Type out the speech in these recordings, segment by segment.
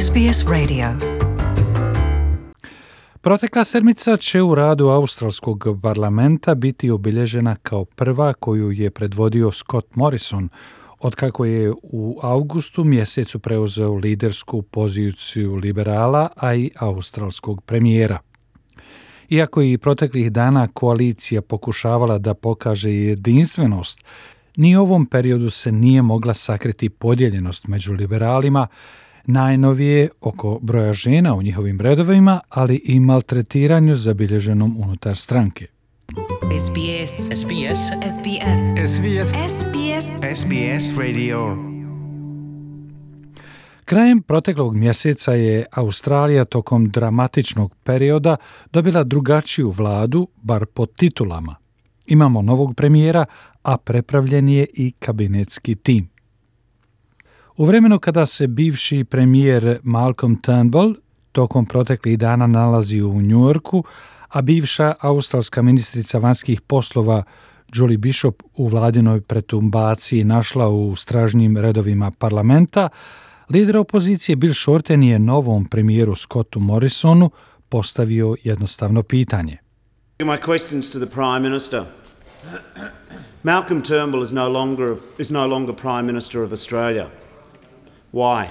SBS Radio. Protekla sedmica će u radu australskog parlamenta biti obilježena kao prva koju je predvodio Scott Morrison, otkako je u augustu mjesecu preuzeo lidersku poziciju liberala, a i australskog premijera. Iako je i proteklih dana koalicija pokušavala da pokaže jedinstvenost, ni u ovom periodu se nije mogla sakriti podijeljenost među liberalima, najnovije oko broja žena u njihovim redovima, ali i maltretiranju zabilježenom unutar stranke. SBS. SBS. SBS. SBS. SBS. SBS Radio. Krajem proteklog mjeseca je Australija tokom dramatičnog perioda dobila drugačiju vladu, bar po titulama. Imamo novog premijera, a prepravljen je i kabinetski tim. U vremenu kada se bivši premijer Malcolm Turnbull tokom proteklih dana nalazi u New Yorku, a bivša australska ministrica vanjskih poslova Julie Bishop u vladinoj pretumbaciji našla u stražnjim redovima parlamenta, lider opozicije Bill Shorten je novom premijeru Scottu Morrisonu postavio jednostavno pitanje. My questions to the Prime Minister. Malcolm Turnbull is no longer Prime Minister of Australia. Why?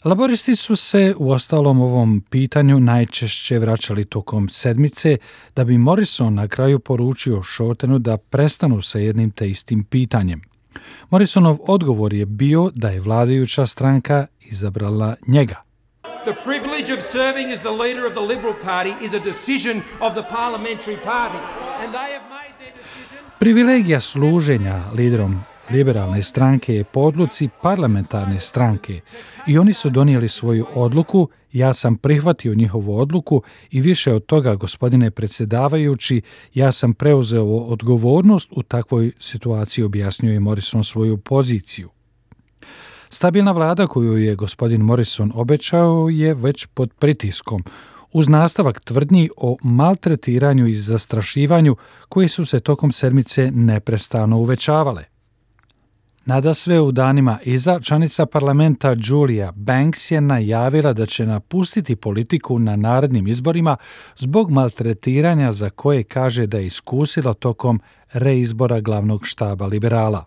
Laboristi su se u ostalom ovom pitanju najčešće vraćali tokom sedmice, da bi Morrison na kraju poručio Shortenu da prestanu sa jednim te istim pitanjem. Morrisonov odgovor je bio da je vladajuća stranka izabrala njega. The privilege of serving as the leader of the Liberal Party is a decision of the parliamentary party, and they have made their decision. Privilegija služenja liderom liberalne stranke je po odluci parlamentarne stranke i oni su donijeli svoju odluku, ja sam prihvatio njihovu odluku i više od toga, gospodine predsjedavajući, ja sam preuzeo odgovornost u takvoj situaciji, objasnio je Morrison svoju poziciju. Stabilna vlada koju je gospodin Morrison obećao je već pod pritiskom, uz nastavak tvrdnji o maltretiranju i zastrašivanju koje su se tokom sedmice neprestano uvećavale. Nadasve u danima iza, članica parlamenta Julia Banks je najavila da će napustiti politiku na narednim izborima zbog maltretiranja za koje kaže da je iskusila tokom reizbora glavnog štaba liberala.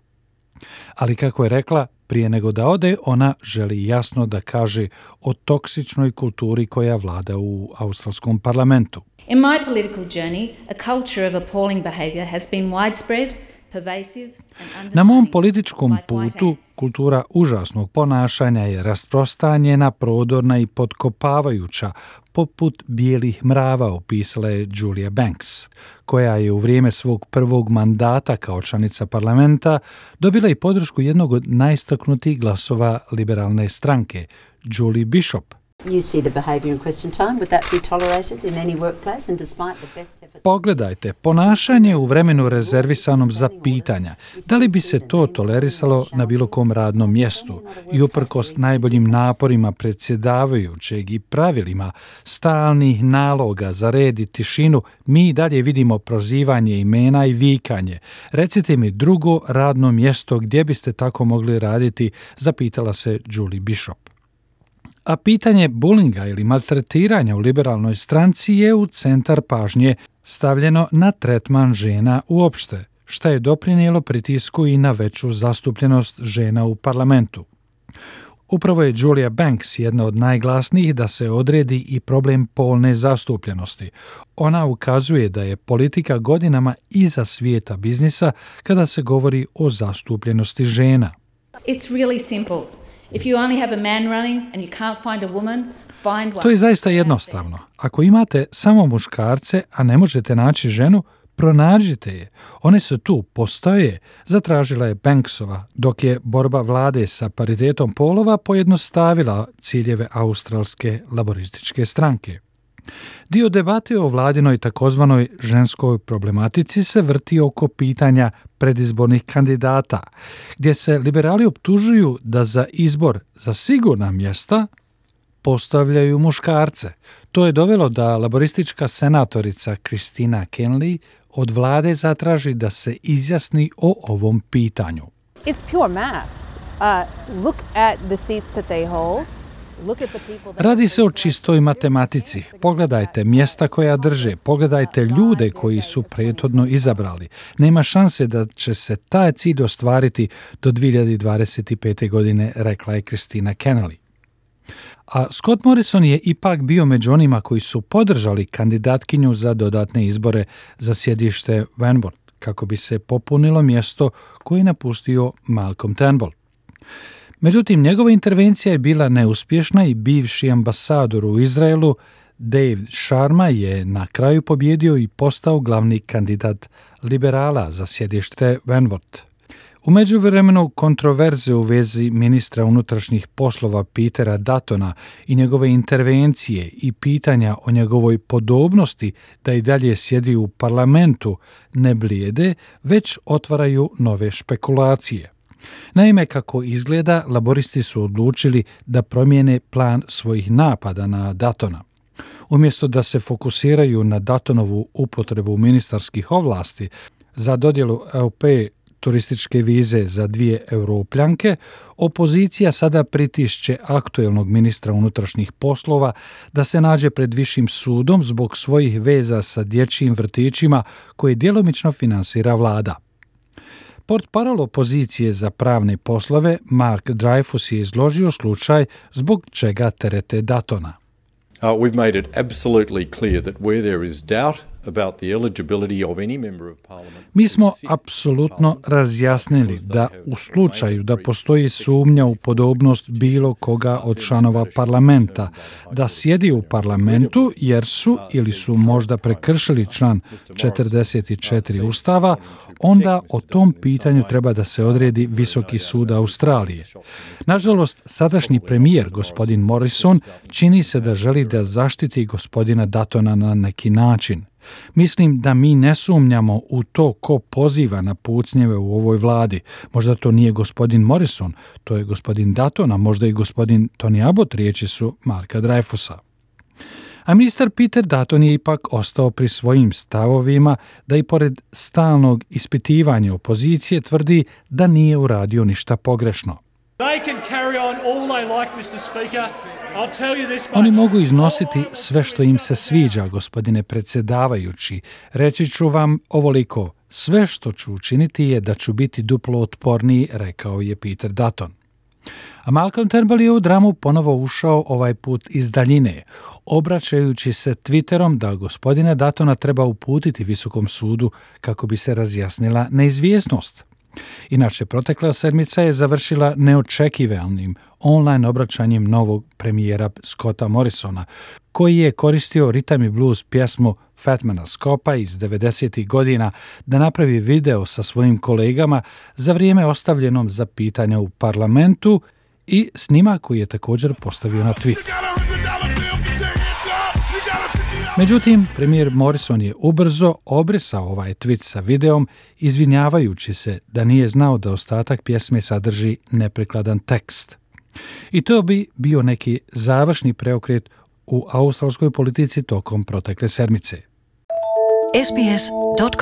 Ali kako je rekla, prije nego da ode, ona želi jasno da kaže o toksičnoj kulturi koja vlada u australskom parlamentu. In my political journey, a culture of appalling behaviour has been widespread, pervasive and Na mom političkom putu kultura užasnog ponašanja je rasprostranjena, prodorna i potkopavajuća, poput bijelih mrava, opisala je Julia Banks, koja je u vrijeme svog prvog mandata kao članica parlamenta dobila i podršku jednog od najistaknutijih glasova liberalne stranke, Julie Bishop. You see the behaviour in question time. Would that be tolerated in any workplace and despite the best efforts? Pogledajte, ponašanje u vremenu rezervisanom za pitanja. Da li bi se to tolerisalo na bilo kom radnom mjestu? I uprkos najboljim naporima predsjedavajućeg i pravilima stalnih naloga za red i tišinu, mi dalje vidimo prozivanje imena i vikanje. Recite mi drugo radno mjesto gdje biste tako mogli raditi, zapitala se Julie Bishop. A pitanje bulinga ili maltretiranja u liberalnoj stranci je u centar pažnje stavljeno na tretman žena uopšte, što je doprinijelo pritisku i na veću zastupljenost žena u parlamentu. Upravo je Julia Banks jedna od najglasnijih da se odredi i problem polne zastupljenosti. Ona ukazuje da je politika godinama iza svijeta biznisa kada se govori o zastupljenosti žena. It's really simple. If you only have a man running and you can't find a woman, find one. To je zaista jednostavno. Ako imate samo muškarce, a ne možete naći ženu, pronađite je. One su tu, postoje, zatražila je Banksova, dok je borba vlade sa paritetom polova pojednostavila ciljeve australske laborističke stranke. Dio debate o vladinoj takozvanoj ženskoj problematici se vrti oko pitanja predizbornih kandidata, gdje se liberali optužuju da za izbor za sigurna mjesta postavljaju muškarce. To je dovelo da laboristička senatorica Christina Kenneally od vlade zatraži da se izjasni o ovom pitanju. It's pure maths. Look at the seats that they hold. Radi se o čistoj matematici. Pogledajte mjesta koja drže, pogledajte ljude koji su prethodno izabrali. Nema šanse da će se taj cilj ostvariti do 2025. godine, rekla je Kristina Kennelly. A Scott Morrison je ipak bio među onima koji su podržali kandidatkinju za dodatne izbore za sjedište Wanworth, kako bi se popunilo mjesto koje je napustio Malcolm Turnbull. Međutim, njegova intervencija je bila neuspješna i bivši ambasador u Izraelu, Dave Sharma, je na kraju pobjedio i postao glavni kandidat liberala za sjedište Wanworth. U međuvremenu kontroverze u vezi ministra unutrašnjih poslova Petera Duttona i njegove intervencije i pitanja o njegovoj podobnosti da i dalje sjedi u parlamentu ne blijede, već otvaraju nove špekulacije. Naime, kako izgleda, laboristi su odlučili da promijene plan svojih napada na Duttona. Umjesto da se fokusiraju na Duttonovu upotrebu ministarskih ovlasti za dodjelu EUP turističke vize za 2 Europljanke, opozicija sada pritišće aktuelnog ministra unutrašnjih poslova da se nađe pred višim sudom zbog svojih veza sa dječjim vrtićima koje djelomično finansira vlada. Portparol opozicije za pravne poslove Mark Dreyfus je izložio slučaj zbog čega terete Duttona. We've made it absolutely clear that where there is doubt about the eligibility of any member of parliament. Mi smo apsolutno razjasnili da u slučaju da postoji sumnja u podobnost bilo koga od članova parlamenta da sjedi u parlamentu jer su ili su možda prekršili član 44 Ustava, onda o tom pitanju treba da se odredi Visoki sud Australije. Nažalost, sadašnji premijer, gospodin Morrison, čini se da želi da zaštiti gospodina Duttona na neki način. Mislim da mi ne sumnjamo u to ko poziva na pucnjeve u ovoj vladi. Možda to nije gospodin Morrison, to je gospodin Dutton, a možda i gospodin Tony Abbott, riječi su Marka Dreyfusa. A ministar Peter Dutton je ipak ostao pri svojim stavovima da i pored stalnog ispitivanja opozicije tvrdi da nije uradio ništa pogrešno. Oni mogu iznositi sve što im se sviđa, gospodine predsjedavajući. Reći ću vam ovoliko, sve što ću učiniti je da ću biti duplo otporniji, rekao je Peter Dutton. A Malcolm Turnbull je u dramu ponovo ušao ovaj put iz daljine, obraćajući se Twitterom da gospodina Duttona treba uputiti Visokom sudu kako bi se razjasnila neizvjesnost. Inače, protekla sedmica je završila neočekivanim online obraćanjem novog premijera Scotta Morrisona, koji je koristio ritam i blues pjesmu Fatmana Scoppa iz 90. godina da napravi video sa svojim kolegama za vrijeme ostavljenom za pitanja u parlamentu i snimak koji je također postavio na Twitter. Međutim, premijer Morrison je ubrzo obrisao ovaj tweet sa videom, izvinjavajući se da nije znao da ostatak pjesme sadrži neprikladan tekst. I to bi bio neki završni preokret u australskoj politici tokom protekle sedmice. sbs.com.au